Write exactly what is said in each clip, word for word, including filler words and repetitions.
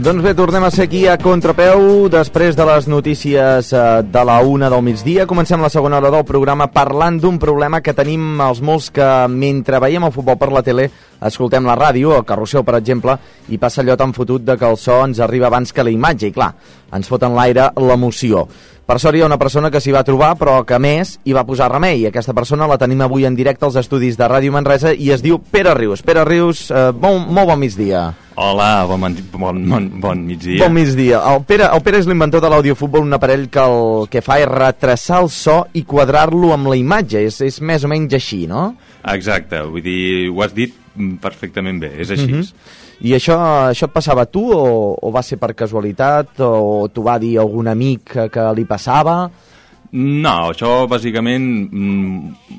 Doncs bé, tornem a ser aquí a Contrapeu després de les notícies eh, de la una del migdia. Comencem la segona hora del programa parlant d'un problema que tenim els molts que mentre veiem el futbol per la tele escoltem la ràdio, el carrusel per exemple, i passa allò tan fotut de que el so ens arriba abans que la imatge i clar, ens fot en l'aire l'emoció. Per sort hi ha una persona que s'hi va trobar però que a més hi va posar remei. Aquesta persona la tenim avui en directe als estudis de Ràdio Manresa i es diu Pere Rius. Pere Rius, eh, bon, molt bon migdia. Hola, bon, bon, bon, bon migdia. Bon migdia. El Pere, el Pere és l'inventor de l'audiofutbol, un aparell que el que fa és retrasar el so i quadrar-lo amb la imatge. És, és més o menys així, no? Exacte, vull dir, ho has dit perfectament bé, és així. Uh-huh. I això, això et passava a tu o, o va ser per casualitat o t'ho va dir algun amic que, que li passava? No, això bàsicament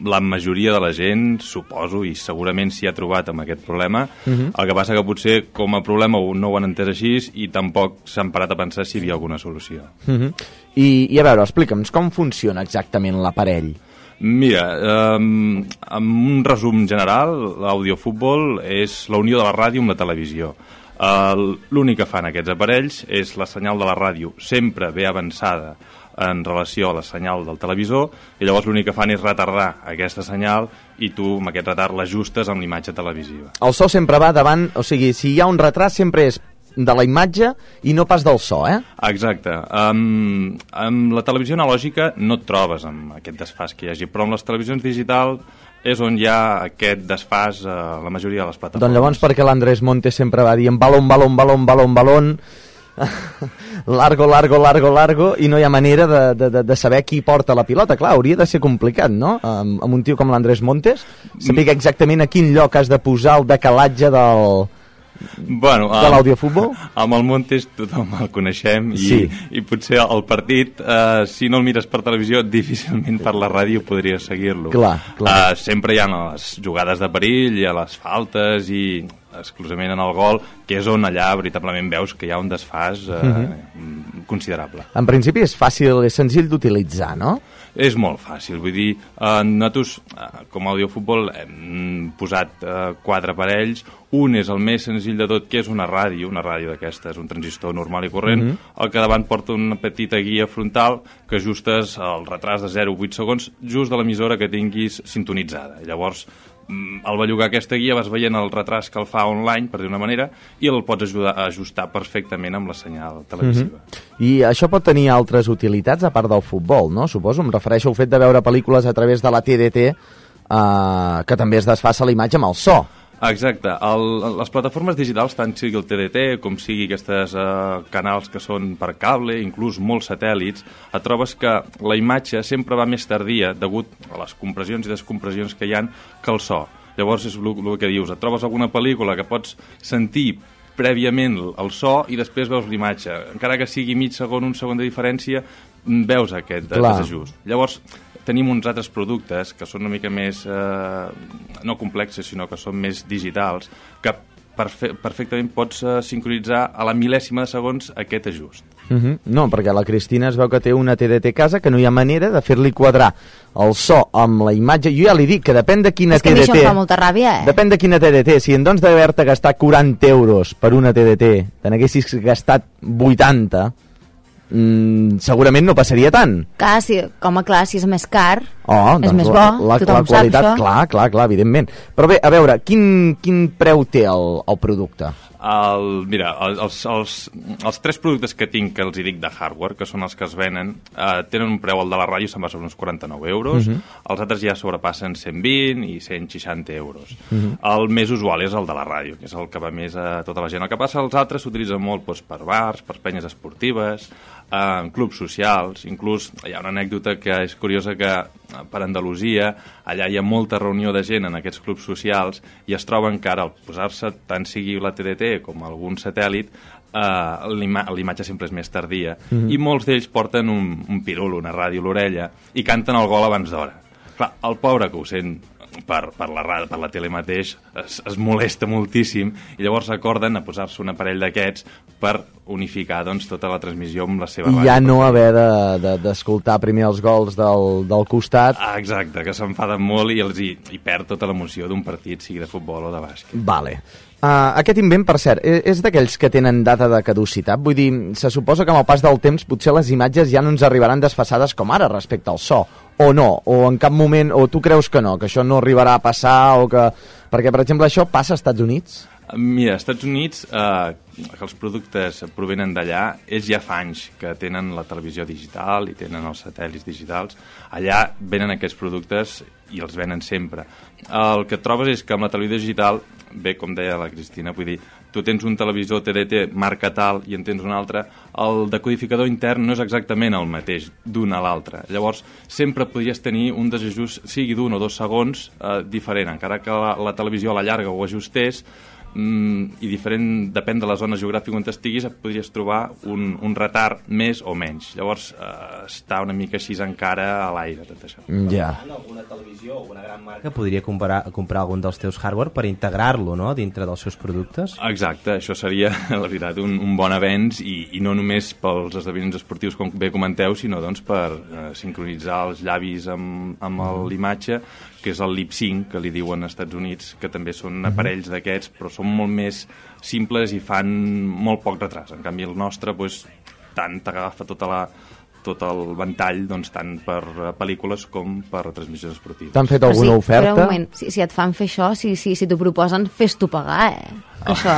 la majoria de la gent, suposo, i segurament s'hi ha trobat amb aquest problema. Uh-huh. El que passa que potser com a problema no ho han entès així i tampoc s'han parat a pensar si hi havia alguna solució. Uh-huh. I, I a veure, explica'ns com funciona exactament l'aparell. Mira, eh, en un resum general, l'audiofutbol és la unió de la ràdio amb la televisió. Eh, L'únic que fan aquests aparells és la senyal de la ràdio sempre ve avançada en relació a la senyal del televisor i llavors l'únic que fan és retardar aquesta senyal i tu amb aquest retard l'ajustes amb l'imatge televisiva. El so sempre va davant, o sigui, si hi ha un retard sempre és de la imatge i no pas del so, eh? Exacte. Um, amb la televisió analògica no et trobes amb aquest desfàs que hi hagi, però amb les televisions digitals és on hi ha aquest desfàs a la majoria de les plataformes. Doncs llavors perquè l'Andrés Montes sempre va dient balón, balón, balón, balón, balón, largo, largo, largo, largo, i no hi ha manera de, de, de saber qui porta la pilota. Clar, hauria de ser complicat, no? Amb, amb un tio com l'Andrés Montes, saber exactament a quin lloc has de posar el decalatge del... Bueno, de l'audiofutbol? Amb el Montes tothom el coneixem i, sí. i potser el partit, eh, si no el mires per televisió, difícilment per la ràdio podries seguir-lo. Clar, clar. Eh, sempre hi ha les jugades de perill, hi ha les faltes i exclusivament en el gol, que és on allà veritablement veus que hi ha un desfàs eh, uh-huh. considerable. En principi és fàcil, és senzill d'utilitzar, no? És molt fàcil, vull dir, eh, nosaltres eh, com a audiofutbol hem posat eh, quatre aparells, un és el més senzill de tot, que és una ràdio, una ràdio d'aquestes, un transistor normal i corrent, mm-hmm. el que davant porta una petita guia frontal que ajustes el retras de zero coma vuit segons just de l'emissora que tinguis sintonitzada. Llavors, al bellugar aquesta guia vas veient el retras que el fa online, per dir una manera, i el pots ajudar a ajustar perfectament amb la senyal televisiva. Mm-hmm. I això pot tenir altres utilitats a part del futbol, no? Suposo, em refereixo al fet de veure pel·lícules a través de la T D T, eh, que també es desfassa la imatge amb el so. Exacte. El, les plataformes digitals, tant sigui el T D T com sigui aquests eh, canals que són per cable, inclús molts satèl·lits, et trobes que la imatge sempre va més tardia degut a les compressions i descompressions que hi han que el so. Llavors és el, el que dius, et trobes alguna pel·lícula que pots sentir prèviament el so i després veus l'imatge. Encara que sigui mig segon, un segon de diferència, veus aquest Clar. desajust. Llavors, tenim uns altres productes que són una mica més, eh, no complexes, sinó que són més digitals, que perfe perfectament pots eh, sincronitzar a la mil·lèsima de segons aquest ajust. Uh-huh. No, perquè la Cristina es veu que té una T D T a casa que no hi ha manera de fer-li quadrar el so amb la imatge. Jo ja li dic que depèn de quina T D T... És que a mi això em fa molta ràbia, eh? Depèn de quina T D T. Si en doncs d'haver-te gastat quaranta euros per una T D T, te n'haguessis gastat vuitanta... Mm, segurament no passaria tant. Clar, si, com a clar, si és més car, oh, és doncs més la, bo, la, tothom la qualitat, sap això. clar, clar, clar, evidentment. Però bé, a veure, quin, quin preu té el, el producte? El, mira, els, els, els tres productes que tinc, que els hi dic de hardware, que són els que es venen, eh, tenen un preu, el de la ràdio se'n va sobre uns quaranta-nou euros, uh-huh. els altres ja sobrepassen cent vint i cent seixanta euros. Uh-huh. El més usual és el de la ràdio, que és el que va més a tota la gent. El que passa, els altres s'utilitzen molt doncs, per bars, per penyes esportives, en clubs socials, inclús hi ha una anècdota que és curiosa que per Andalusia allà hi ha molta reunió de gent en aquests clubs socials i es troben que ara al posar-se tant sigui la T D T com algun satèl·lit eh, l'imatge sempre és més tardia mm-hmm. i molts d'ells porten un, un pirul, una ràdio a l'orella i canten el gol abans d'hora. Clar, el pobre que ho sent per, per, la, per la tele mateix es, es molesta moltíssim i llavors acorden a posar-se un aparell d'aquests per unificar doncs, tota la transmissió amb la seva I ràdio. ja no haver d'escoltar de, de, primer els gols del, del costat. Ah, exacte, que s'enfaden molt i, els hi, hi perd tota l'emoció d'un partit, sigui de futbol o de bàsquet. Vale. Uh, aquest invent, per cert, és, és d'aquells que tenen data de caducitat? Vull dir, se suposa que amb el pas del temps potser les imatges ja no ens arribaran desfasades com ara respecte al so, o no, o en cap moment, o tu creus que no, que això no arribarà a passar, o que... Perquè, per exemple, això passa als Estats Units? Mira, als Estats Units, eh, que els productes provenen d'allà, ells ja fa anys que tenen la televisió digital i tenen els satèl·lits digitals. Allà venen aquests productes i els venen sempre. El que trobes és que amb la televisió digital, bé, com deia la Cristina, vull dir, tu tens un televisor T D T marca tal i en tens un altre, el decodificador intern no és exactament el mateix d'un a l'altre. Llavors, sempre podries tenir un desajust, sigui d'un o dos segons, eh, diferent. Encara que la, la televisió a la llarga ho ajustés, mm, i diferent, depèn de la zona geogràfica on estiguis, et podries trobar un, un retard més o menys. Llavors, eh, està una mica així encara a l'aire, tot això. Ja. Alguna televisió o una gran marca podria comprar, comprar algun dels teus hardware per integrar-lo, no?, dintre dels seus productes? Exacte, això seria, la veritat, un, un bon avenç i, i no només pels esdeveniments esportius, com bé comenteu, sinó doncs, per eh, sincronitzar els llavis amb, amb l'imatge, que és el lip sync, que li diuen als Estats Units, que també són aparells d'aquests, però són molt més simples i fan molt poc retras. En canvi, el nostre, doncs, tant t'agafa tota la tot el ventall, doncs, tant per uh, pel·lícules com per transmissions esportives. T'han fet alguna sí, oferta? Però un moment, si, si et fan fer això, si, si, si t'ho proposen, fes-t'ho pagar, eh? Oh. Això...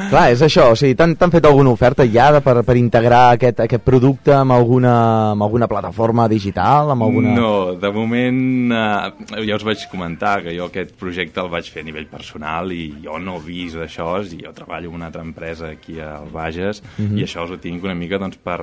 Clar, és això, o sigui, t'han fet alguna oferta ja de, per, per integrar aquest, aquest producte amb alguna, amb alguna plataforma digital? Amb alguna... No, de moment eh, ja us vaig comentar que jo aquest projecte el vaig fer a nivell personal i jo no he vist això, i jo treballo en una altra empresa aquí al Bages, mm-hmm. i això us ho tinc una mica doncs, per,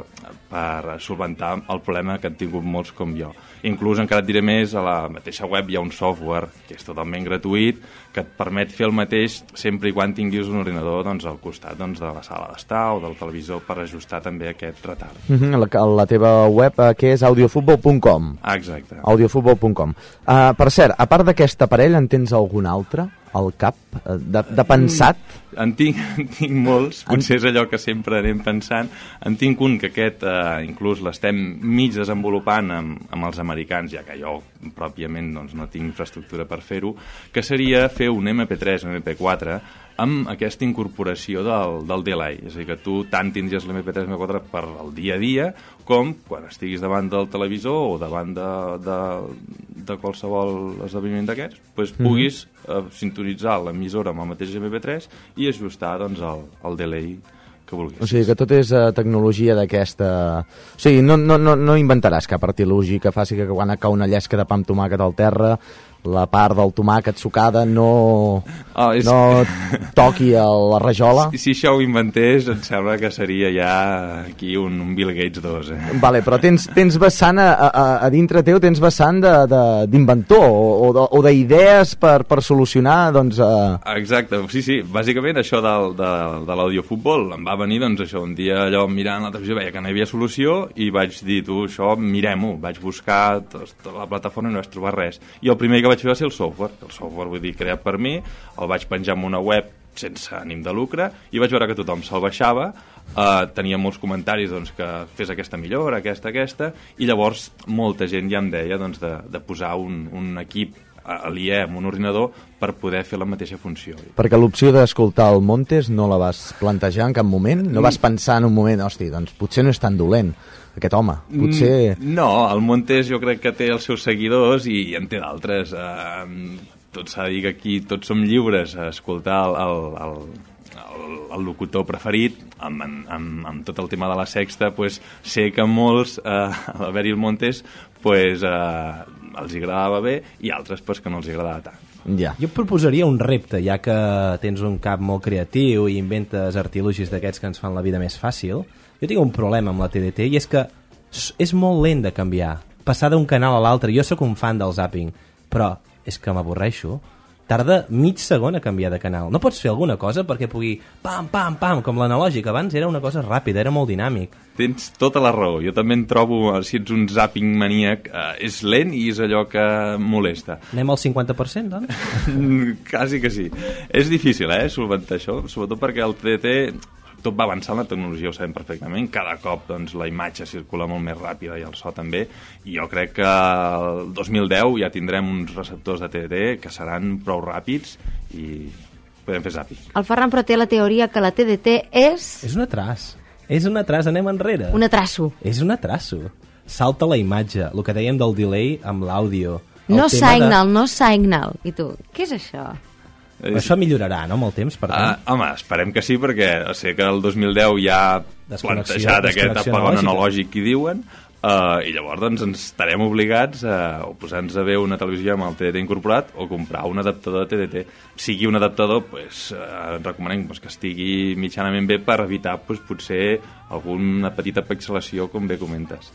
per solventar el problema que han tingut molts com jo. Inclús, encara et diré més, a la mateixa web hi ha un software que és totalment gratuït, que et permet fer el mateix sempre i quan tinguis un ordinador doncs, al costat doncs, de la sala d'estar o del televisor per ajustar també aquest retard. Mm-hmm, la, la teva web, eh, que és audiofutbol punt com. Ah, exacte. audiofutbol punt com. Uh, per cert, a part d'aquest aparell, en tens algun altre al cap, de, de pensat? En tinc, en tinc molts, potser és allò que sempre anem pensant. En tinc un que aquest eh, inclús l'estem mig desenvolupant amb, amb els americans, ja que jo pròpiament doncs, no tinc infraestructura per fer-ho, que seria fer un eme pe tres o eme pe quatre amb aquesta incorporació del, del delay. És a dir, que tu tant tindries l'eme pe tres o eme pe quatre per al dia a dia, com quan estiguis davant del televisor o davant de, de, de qualsevol esdeveniment d'aquests, doncs puguis eh, sintonitzar l'emissora amb el mateix eme pe tres i ajustar doncs, el, el delay que vulguis. O sigui, que tot és uh, tecnologia d'aquesta... O sigui, no, no, no, no inventaràs cap artilugi que faci que quan cau una llesca de pa amb tomàquet al terra la part del tomàquet sucada no, oh, és... no toqui a la rajola. Si, si això ho inventés, em sembla que seria ja aquí un, un Bill Gates dos. Eh? Vale, però tens, tens vessant a, a, a dintre teu, tens vessant d'inventor o, o d'idees per, per solucionar, doncs... Uh... Exacte, sí, sí, bàsicament això del, de, de l'audiofutbol em va venir, doncs això, un dia allò mirant la televisió veia que no hi havia solució i vaig dir, tu, això mirem-ho, vaig buscar tota la plataforma i no vaig trobar res. I el primer que vaig fer va ser el software, el software vull dir creat per mi, el vaig penjar en una web sense ànim de lucre i vaig veure que tothom se'l baixava, eh, tenia molts comentaris doncs, que fes aquesta millora, aquesta, aquesta, i llavors molta gent ja em deia doncs, de, de posar un, un equip aliè amb un ordinador per poder fer la mateixa funció. Perquè l'opció d'escoltar el Montes no la vas plantejar en cap moment? No vas pensar en un moment, hosti, doncs potser no és tan dolent aquest home, potser... No, el Montes jo crec que té els seus seguidors i en té d'altres. Eh, tot s'ha de dir que aquí tots som lliures a escoltar el, el, el, el, el locutor preferit, amb, amb, amb tot el tema de la sexta, pues, sé que molts, eh, a l'haver-hi el Montes, pues, eh, els agradava bé i altres pues, que no els agradava tant. Ja. Jo et proposaria un repte, ja que tens un cap molt creatiu i inventes artilugis d'aquests que ens fan la vida més fàcil. Jo tinc un problema amb la T D T i és que és molt lent de canviar, passar d'un canal a l'altre. Jo sóc un fan del zapping, però és que m'avorreixo. Tarda mig segon a canviar de canal. No pots fer alguna cosa perquè pugui pam, pam, pam, com l'analògic. Abans era una cosa ràpida, era molt dinàmic. Tens tota la raó. Jo també em trobo, si ets un zapping maníac, eh, és lent i és allò que molesta. Anem al cinquanta per cent, doncs? Quasi que sí. És difícil, eh, solventar això, sobretot perquè el T D T tot va avançant, la tecnologia ho sabem perfectament, cada cop doncs, la imatge circula molt més ràpida i el so també, i jo crec que el dos mil deu ja tindrem uns receptors de T D T que seran prou ràpids i podem fer zàping. El Ferran però té la teoria que la T D T és... És un atras. És un atras, anem enrere. Un atraso. És un atraso. Salta la imatge, el que dèiem del delay amb l'àudio. No signal, de... no signal. I tu, què és això? Però això millorarà, no?, amb el temps, per tant. Ah, home, esperem que sí, perquè o sigui que el dos mil deu ja ha plantejat aquest apagón analògic que diuen, uh, i llavors doncs, ens estarem obligats a o posar-nos a veure una televisió amb el T D T incorporat o comprar un adaptador de T D T. Sigui un adaptador, pues, uh, recomanem pues, que estigui mitjanament bé per evitar pues, potser alguna petita pixelació, com bé comentes.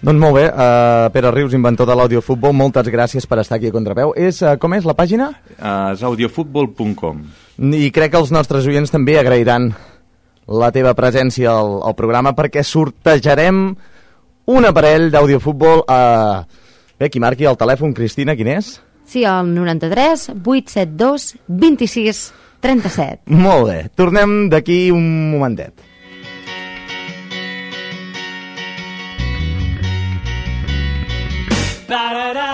Doncs molt bé, uh, Pere Rius, inventor de l'audiofutbol, moltes gràcies per estar aquí a Contrapeu. És, uh, com és la pàgina? Uh, és audiofutbol punt com. I crec que els nostres oients també agrairan la teva presència al, al programa, perquè sortejarem un aparell d'audiofutbol. Uh, bé, qui marqui el telèfon, Cristina, quin és? Sí, el noranta-tres vuit set dos vint-i-sis trenta-set. Molt bé, tornem d'aquí un momentet. Da da da